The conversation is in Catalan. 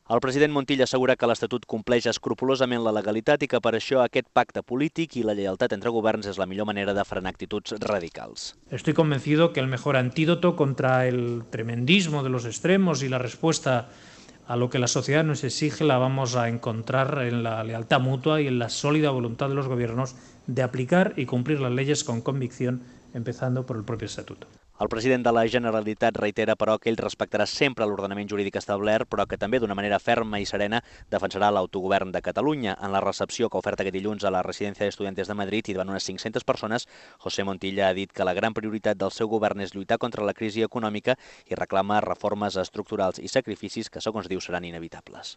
El president Montilla assegura que l'Estatut compleix escrupolosament la legalitat i que per això aquest pacte polític i la lleialtat entre governs és la millor manera de frenar actituds radicals. Estoy convencido que el mejor antídoto contra el tremendismo de los extremos y la respuesta a lo que la sociedad nos exige la vamos a encontrar en la lealtad mutua y en la sólida voluntad de los gobiernos de aplicar y cumplir las leyes con convicción, empezando por el propio Estatuto. El president de la Generalitat reitera, però, que ell respectarà sempre l'ordenament jurídic establert, però que també d'una manera ferma i serena defensarà l'autogovern de Catalunya. En la recepció que ha ofert aquest dilluns a la Residència d'Estudiantes de Madrid i davant unes 500 persones, José Montilla ha dit que la gran prioritat del seu govern és lluitar contra la crisi econòmica i reclama reformes estructurals i sacrificis que, segons diu, seran inevitables.